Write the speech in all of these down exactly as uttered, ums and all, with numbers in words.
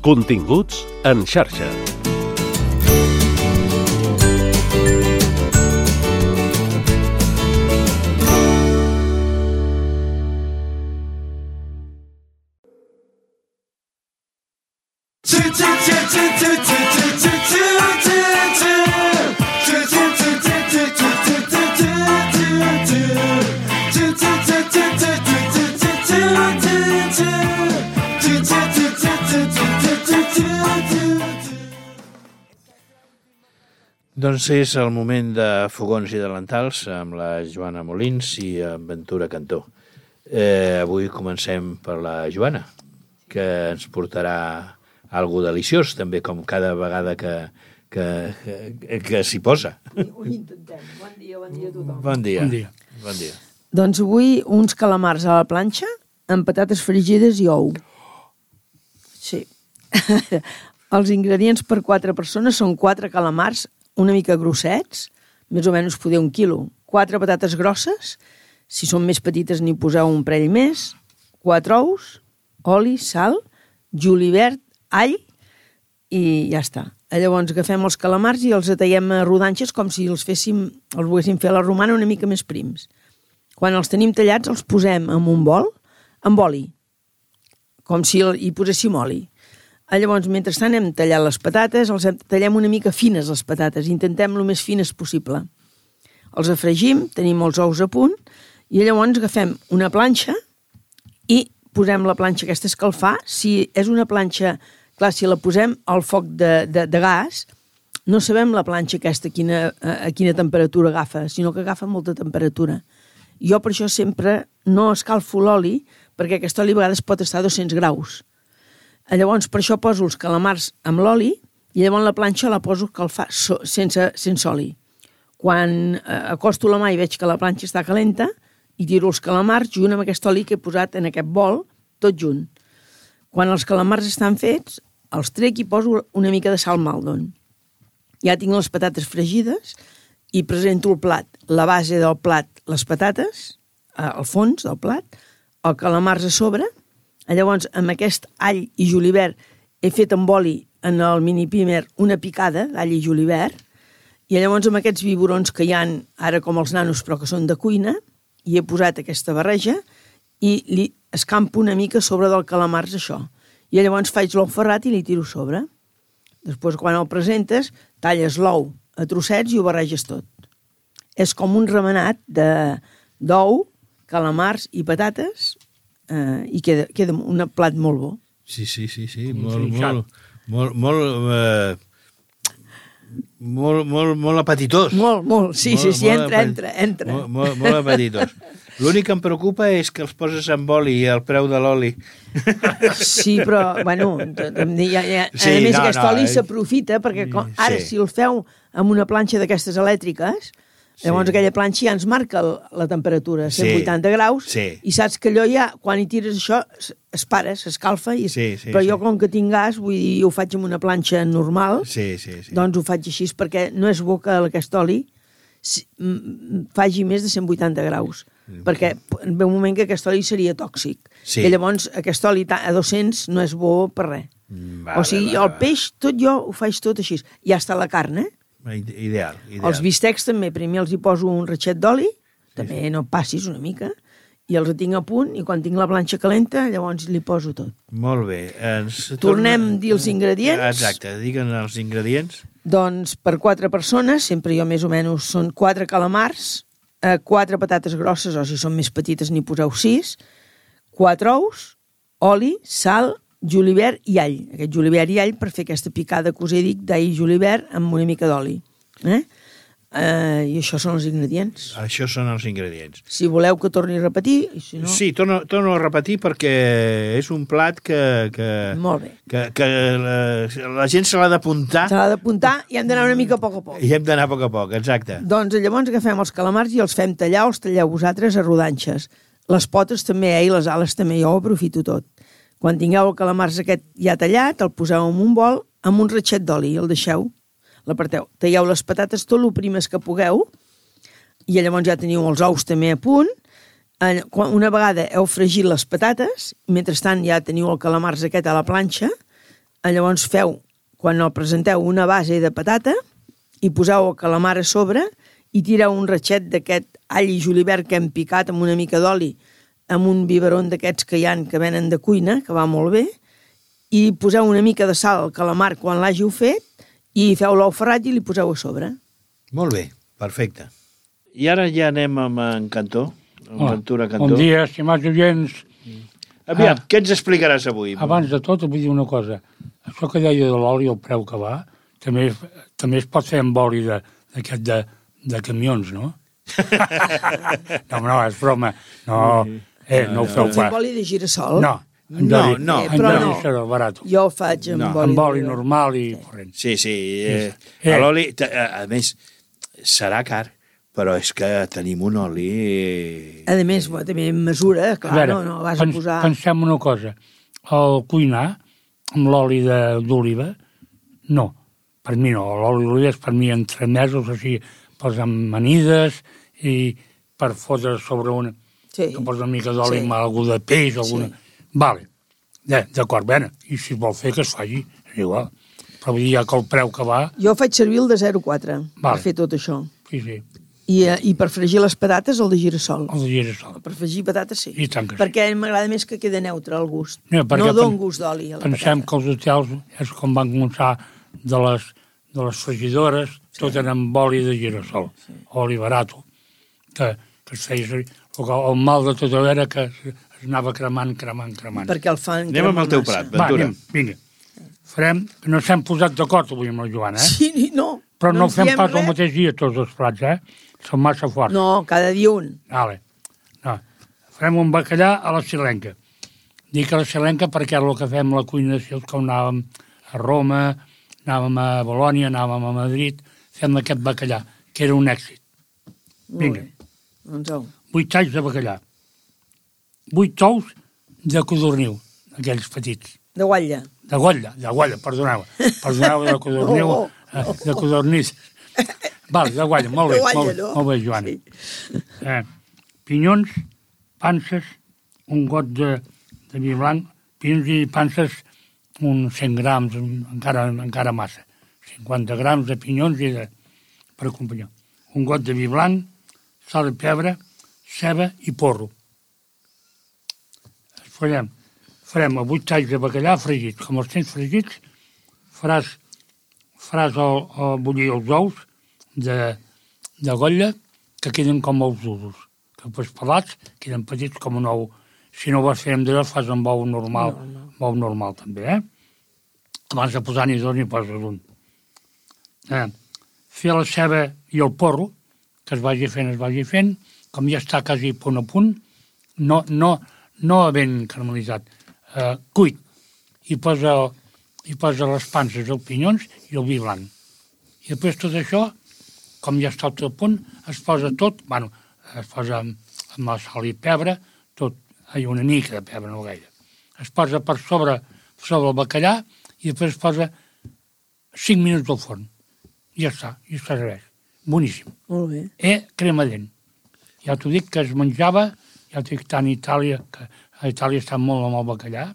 Continguts en xarxa. Doncs és el moment de Fogons i Delantals amb la Joana Molins i en Ventura Cantó. Eh, avui comencem per la Joana, que ens portarà algo deliciós, també com cada vegada que, que, que, que s'hi posa. Ho intentem. Bon dia, bon dia a tothom. Bon dia. Bon dia. Bon dia. Doncs avui uns calamars a la planxa amb patates fregides i ou. Sí. Els ingredients per quatre persones són quatre calamars una mica grossets, més o menys poder un quilo, quatre patates grosses, si són més petites n'hi poseu un parell més, quatre ous, oli, sal, julivert, all i ja està. Llavors agafem els calamars i els tallem a rodanxes com si els féssim, els volguéssim fer a la romana una mica més prims. Quan els tenim tallats els posem en un bol amb oli, com si hi poséssim oli. Llavors, mentrestant hem tallat les patates, els tallem una mica fines les patates, intentem el més fines possible. Els afregim, tenim els ous a punt, i llavors agafem una planxa i posem la planxa aquesta a escalfar. Si és una planxa, clar, si la posem al foc de, de, de gas, no sabem la planxa aquesta a quina, a quina temperatura agafa, sinó que agafa molta temperatura. Jo per això sempre no escalfo l'oli, perquè aquest oli a vegades pot estar a dos-cents graus. Llavors, per això poso els calamars amb l'oli i llavors la planxa la poso a escalfar so, sense, sense oli. Quan eh, acosto la mà i veig que la planxa està calenta, i tiro els calamars junt amb aquest oli que he posat en aquest bol, tot junt. Quan els calamars estan fets, els trec i poso una mica de sal Maldon. Ja tinc les patates fregides i presento el plat. La base del plat, les patates, eh, al fons del plat, el calamars a sobre. Llavors, amb aquest all i julivert he fet amb oli en el mini pimer una picada d'all i julivert, i llavors amb aquests biberons que hi ha ara com els nanos però que són de cuina, hi he posat aquesta barreja i li escampo una mica sobre del calamars això. I llavors faig l'ou ferrat i li tiro sobre. Després, quan el presentes, talles l'ou a trossets i ho barreges tot. És com un remenat de, d'ou, calamars i patates, Uh, i queda, queda un plat molt bo. Sí, sí, sí, sí, molt, sí, molt, molt, molt, uh, molt, molt, molt apetitós. Molt, molt, sí, molt, sí, sí, entra, apet... entra, entra. Molt, molt, molt apetitós. L'únic que em preocupa és que els poses amb oli i el preu de l'oli. Sí, però, bueno, ja, ja, sí, a més no, aquest no, oli eh? s'aprofita perquè com, ara sí. si el feu amb una planxa d'aquestes elèctriques, llavors sí. Aquella planxa ja ens marca la temperatura, cent vuitanta sí. Graus, sí. I saps que allò ja, quan hi tires això, es para, s'escalfa, i... sí, sí, però jo sí. Com que tinc gas, vull dir, ho faig amb una planxa normal, sí, sí, sí. Doncs ho faig així, perquè no és bo que aquest oli faci més de cent vuitanta graus, mm. perquè ve un moment que aquest oli seria tòxic, sí. I llavors aquest oli a dos-cents no és bo per res. Vale, o sigui, vale, el peix, tot jo ho faig tot així. Ja està la carn, eh? Ideal, ideal. Els bistecs també, primer els hi poso un ratxet d'oli, sí, també sí. No passis una mica, i els tinc a punt, i quan tinc la planxa calenta, llavors li poso tot. Molt bé. Ens Tornem torna... a dir els ingredients. Exacte, digue'ns els ingredients. Doncs per quatre persones, sempre jo més o menys, són quatre calamars, eh, quatre patates grosses, o si són més petites n'hi poseu sis, quatre ous, oli, sal, julivert i all. Aquest julivert i all per fer aquesta picada que us he dit d'all i julivert amb una mica d'oli. Eh? Eh, I això són els ingredients. Això són els ingredients. Si voleu que torni a repetir... I si no... Sí, torno, torno a repetir perquè és un plat que... que Molt bé. Que, que la, la gent se l'ha d'apuntar. Se l'ha d'apuntar i hem d'anar una mica a poc a poc. I hem d'anar a poc a poc, exacte. Doncs llavors agafem els calamars i els fem tallar, els talleu vosaltres a rodanxes. Les potes també, eh, i les ales també, jo ho aprofito tot. Quan tingueu el calamars aquest ja tallat, el poseu en un bol amb un ratxet d'oli i el deixeu, l'aparteu. Talleu les patates tot el primes que pugueu i llavors ja teniu els ous també a punt. Una vegada heu fregit les patates, mentrestant ja teniu el calamars aquest a la planxa, Llavors feu, quan el presenteu, una base de patata i poseu el calamar a sobre i tireu un ratxet d'aquest all i julivert que hem picat amb una mica d'oli, amb un biberon d'aquests que hi ha que venen de cuina, que va molt bé, i poseu una mica de sal al calamar quan l'hàgiu fet i feu l'ou ferrat i li poseu a sobre. Molt bé, perfecte. I ara ja anem amb en Cantó, amb Hola. Ventura Cantó. Bon dia, estimats oients. Aviam, Ah. què ens explicaràs avui? Abans de tot, vull dir una cosa. Això que deia de l'oli, el preu que va, també, també es pot fer amb oli de, d'aquest de, de camions, no? no, no, és broma. No, eh, no ho feu Fem pas. oli de girassol? No, en No, Dori- no. en Però Dori no. serà barat. Jo ho faig amb No. oli. Amb oli de- normal i corrent. Sí, sí. Eh, Eh. L'oli, a més, serà car, però és que tenim un oli... A més, bueno, també en mesura, clar, A veure, no, no vas pens, a posar... pensem una cosa. El cuinar amb l'oli de- d'oliva, no. Per mi no. L'oli d'oliva és per mi entre mesos, o sigui, pels amanides i per fotre sobre una... Sí. Que posa una mica d'oli Sí. amb algú de peix o alguna... Sí. Vale. Ja, d'acord, bé. I si es vol fer, que es faci. És igual. Però vull dir, ja que el preu que va... Jo faig servir el de zero coma quatre Vale. per fer tot això. Sí, sí. I, eh, I per fregir les patates, el de girassol. El de girassol. Per fregir patates, sí. I tant que sí. Perquè m'agrada més que quede neutre el gust. No, perquè no don pen- gust d'oli a la Pensem patata. que els hotels és com van començar de les, de les fregidores, sí. tot era amb oli de girassol, sí. oli barat, que, que es feia servir. El, que- el mal de tot era que es, es anava cremant, cremant, cremant. Perquè el fan Anem amb el teu massa. plat, Va, Ventura. anem, vinga. Farem, no s'hem posat d'acord avui amb la Joana, eh? Sí, ni- no. Però no, ens fem diem pas el res. mateix dia tots els plats, eh? Són massa forts. No, cada dia un. Vale. No. Farem un bacallà a la silenca. Dic a la silenca perquè és el que fem a la cuina, si els que anàvem a Roma, anàvem a Bolònia, anàvem a Madrid, fem aquest bacallà, que era un èxit. Molt Vinga. bé. Doncs au. Vuit talls de bacallà. Vuit tous de codorniu, aquells petits. De guatlla. De guatlla, de guatlla, perdoneu. Perdoneu, de codorniu, No. eh, de codornís. Val, de guatlla, molt bé, De guatlla, molt, no? molt bé, Joan. Sí. Eh, pinyons, panses, un got de, de vi blanc, pinyons i panses, uns cent grams, encara, encara massa. cinquanta grams de pinyons i de, per acompanyar. Un got de vi blanc, sal i pebre, ceba i porro. Farem, farem a vuit talls de bacallà fregits. Com els tens fregits, faràs, faràs el, el bullir els ous de, de golla que queden com ous durs. Que després pelats queden petits com un ou. Si no ho vas fer amb d'allò, fas amb ou normal. No, no. Ou normal també, eh? Abans de posar-n'hi dos, n'hi poses un. Eh, fer la ceba i el porro, que es vagi fent, es vagi fent, com ja està quasi punt a punt, no, no, no ben caramelitzat, eh, cuit, i posa, i posa les panses, els pinyons i el vi blanc. I després tot això, com ja està tot a punt, es posa tot, bueno, es posa amb, amb la sal i pebre, tot, hi ha una mica de pebre, no gaire. Es posa per sobre, sobre el bacallà i després es posa cinc minuts al forn. I ja està, i es serveix. Boníssim. Molt bé. Eh, crema dent. Ja t'ho dic que es menjava, ja t'ho dic tant a Itàlia, que a Itàlia està molt amb el bacallà,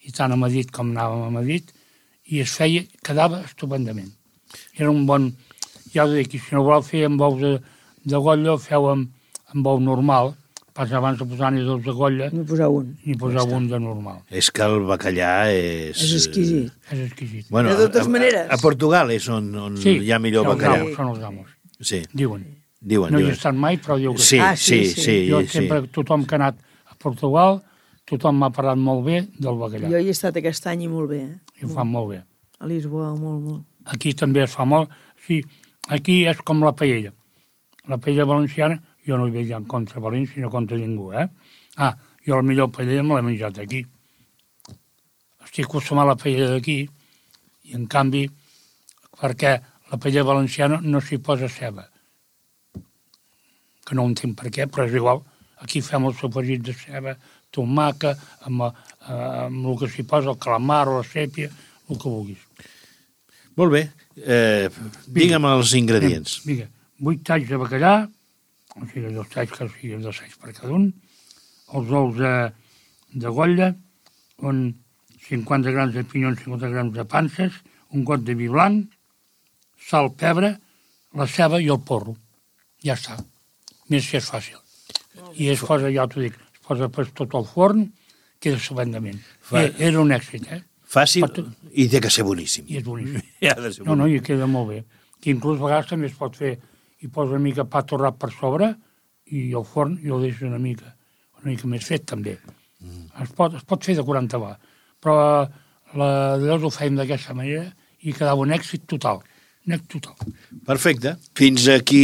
i tant a Madrid com anàvem a Madrid, i es feia, quedava estupendament. Era un bon, ja ho dic, i si no voleu fer amb ous de, de golla, feu amb, amb ou normal, pas abans de posar-n'hi dos de golla, N'hi posar un. ni posar un de normal. És que el bacallà és... És exquisit. És exquisit. Bueno, De totes a, maneres. A, a Portugal és on, on Sí, hi ha millor són bacallà. els amos, són els amos, Sí, diuen. diuen, No hi he diuen. estat mai, però diu que Sí, Ah, sí, sí, sí. sí. Jo sí. sempre, tothom que ha anat a Portugal, tothom m'ha parlat molt bé del bacallà. Jo hi he estat aquest any i molt bé, eh? I ho fan molt bé. A Lisboa, molt, molt. Aquí també es fa molt. Sí, aquí és com la paella. La paella valenciana, jo no hi veig en contra València, sinó contra ningú, eh? Ah, jo la millor paella me l'he menjat aquí. Estic acostumat a la paella d'aquí, i en canvi, perquè la paella valenciana no s'hi posa ceba. Que no entenc per què, però és igual. Aquí fem el sofregit de ceba, tomaca, amb, eh, amb el que s'hi posa, el calamar o la sèpia, el que vulguis. Molt bé. Eh, digue'm els ingredients. Vinga, vuit talls de bacallà, o sigui, dos talls que siguin dos talls per cada un, els ous de, de golla, un, cinquanta grams de pinyons, cinquanta grams de panses, un got de vi blanc, sal, pebre, la ceba i el porro. Ja està. Més que és fàcil. I es posa, ja t'ho dic, es posa per tot el forn, queda estupendament. Fa... Era un èxit, eh? Fàcil Pot... i té que ser boníssim. I és boníssim. I ha de ser No, no, boníssim. i queda molt bé. Que inclús a vegades també es pot fer, i posa una mica pa torrat per sobre, i al forn i el deixa una mica, una mica més fet també. Mm. Es, pot, es pot fer de quaranta va, però la, llavors ho fèiem d'aquesta manera i quedava un èxit total. Un èxit total. Perfecte. Fins aquí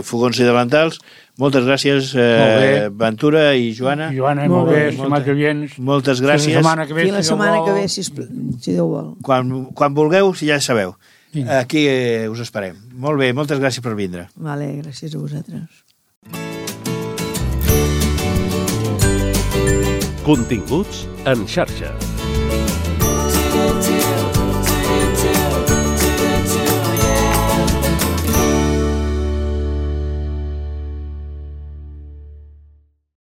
Fogons i Delantals. Moltes gràcies, eh, Ventura i Joana. Joana, Molt molt bé, bé. estimats oients. Moltes gràcies. La setmana que ve, I la si Déu setmana vol. que ve, si, si Déu vol. Quan, quan vulgueu, si ja sabeu. Vinga. Aquí eh, us esperem. Molt bé, moltes gràcies per vindre. Vale, gràcies a vosaltres. Continguts en xarxa.